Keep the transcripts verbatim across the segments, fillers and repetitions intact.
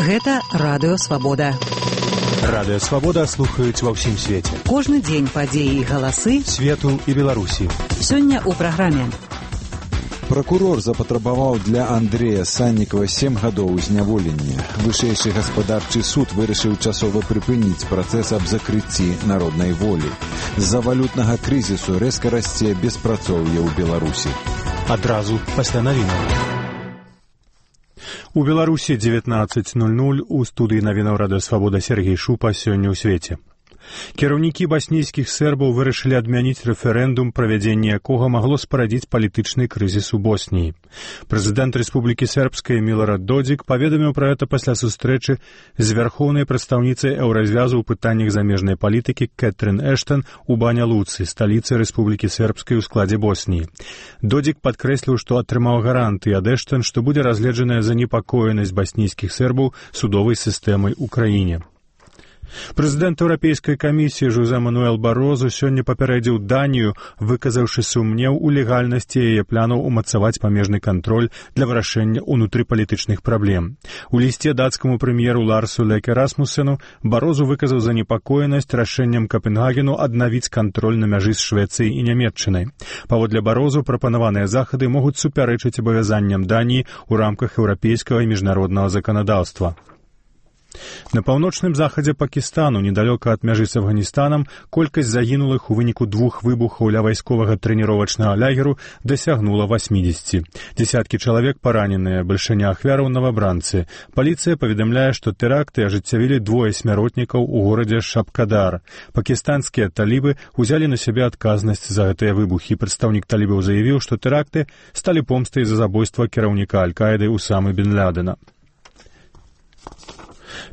Гэта Радыё Свабода. Радыё Свабода слухаюць ва ўсім свеце. Кожны дзень падзеі і галасы свету і Беларусі. Сёння ў праграме. Пракурор запатрабаваў для Андрэя Саннікава сем гадоў зняволення. Вышэйшы гаспадарчы суд вырашыў часова прыпыніць працэс аб закрыцці народнай волі. З-за валютнага крызісу рэзка расце беспрацоўе ў Беларусі. Адразу пасля навінаў. У Беларусі дзевятнаццаць нуль нуль, у студыі навінаў Радыё Свабода Сергей Шупа. Сёння ў свеце. Кіраўнікі баснійскіх сербаў вырашылі адмяніць рэферэндум, правядзенне якога магло спарадзіць палітычны крызіс у Босніі. Прэзідэнт Рэспублікі Сербскай Милорад Додзік паведаміў пра гэта пасля сустрэчы з вярхоўнай прадстаўніцай Еўразвязу ў пытаннях замежнай палітыкі Кэтрин Эштон у Баня-Луцы, сталіцы Рэспублікі Сербскай у складзе Босніі. Додзік падкрэсліў, што атрымаў гарантыі ад Эштон, што будзе разгледжаная занепакоенасць баснійскіх сербаў судовай сістэмай у краіне. Прэзідэнт Еўрапейскай камісіі Жозе Мануэл Барозу сёння папярэдзіў Данію, выказаўшы сумнеў у легальнасці яе планаў умацаваць памежны кантроль для вырашэння ўнутрыпалітычных праблем. У лісце дацкаму прэм'еру Ларсу Леке Расмусену Барозу выказаў занепакоенасць рашэннем Капенгагену аднавіць кантроль на мяжы з Швецыяй і Нямецчынай. Паводле Барозу прапанаваныя захады могуць супярэчыць абавязанням Даніі ў рамках еўрапейскага і міжнароднага заканадаўства. На паўночным захадзе Пакістану, недалёка ад мяжы з Афганістанам, колькасць загінулых у выніку двух выбухаў ля вайсковага трэніровачнага лагеру дасягнула васьмідзесяці. Дзесяткі чалавек параненыя, бальшыня ахвяраў навабранцы. Паліцыя паведамляе, што тэракты ажыццявілі двое смяротнікаў у горадзе Шапкадар. Пакістанскія талібы ўзялі на сябе адказнасць за гэтыя выбухі. Прадстаўнік талібаў заявіў, што тэракты сталі помстай за забойства кіраўніка Аль-Каіды Усамы бен Лядена.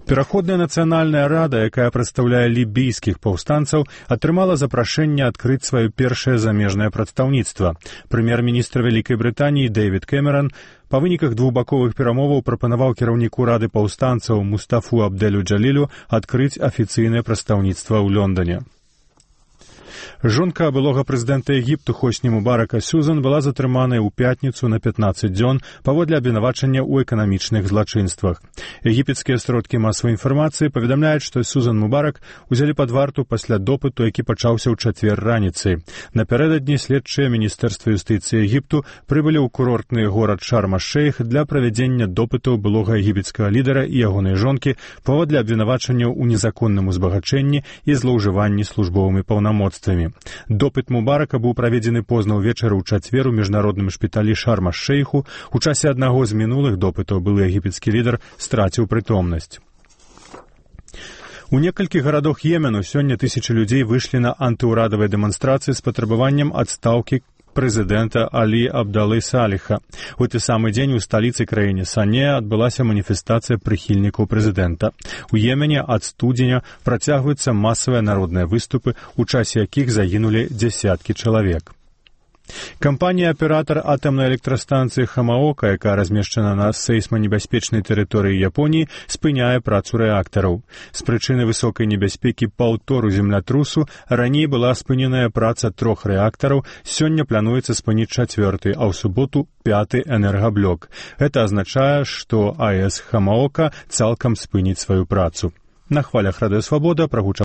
Пераходная нацыянальная рада, якая прадстаўляе лібійскіх паўстанцаў, атрымала запрашэнне адкрыць сваё першае замежнае прадстаўніцтва. Прэм'ер-міністр Вялікай Брытаніі Дэвід Кэмеран па выніках двухбаковых перамоваў прапанаваў кіраўніку рады паўстанцаў Мустафу Абдэлю Джалілю адкрыць афіцыйнае прадстаўніцтва ў Лондоне. Жонка былога прэзідэнта Егіпту Хосні Мубарака Сюзан была затрыманая ў пятніцу на пятнаццаць дзён паводле абвінавачання ў эканамічных злачынствах. Егіпецкія сродкі масавай інфармацыі паведамляюць, што Сюзан Мубарак узялі пад варту пасля допыту, які пачаўся ў чацвер раніцай. Напярэдадні следчыя міністэрства юстыцыі Егіпту прыбылі ў курортны горад Шарм-аш-Шейх для правядзення допытаў былога егіпецкага лідара і ягонай жонкі паводле абвінавачанняў у незаконным узбагачэнні і злоўжыванні службовымі паўнамоцтвамі. Допыт Мубарака быў праведзены позна ўвечары ў чацвер у міжнародным шпіталі Шарм-аш-Шейху. У часе аднаго з мінулых допытаў былы егіпецкі лідар страціў прытомнасць. У некалькіх гарадах Йемену сёння тысячы людзей выйшлі на антыўрадавыя дэманстрацыі з патрабаваннем адстаўкі прэзідэнта Алі Абдалы Саліха. У той самы дзень у сталіцы краіны Сане адбылася маніфестацыя прыхільнікаў прэзідэнта. У Йемене ад студзеня працягваюцца масавыя народныя выступы, у часе якіх загінулі дзясяткі чалавек. Кампанія-аператар атамнай электрастанцыі Хамаока, якая размешчана на сейсманебяспечнай тэрыторыі Японіі, спыняе працу рэактараў. З прычыны высокай небяспекі паўтору землятрусу раней была спыненая праца трох рэактараў, сёння плануецца спыніць чацвёрты, а ў суботу пяты энергаблок. Гэта азначае, што АЭС Хамаока цалкам спыніць сваю працу. На хвалях Радыё Свабода прагучаў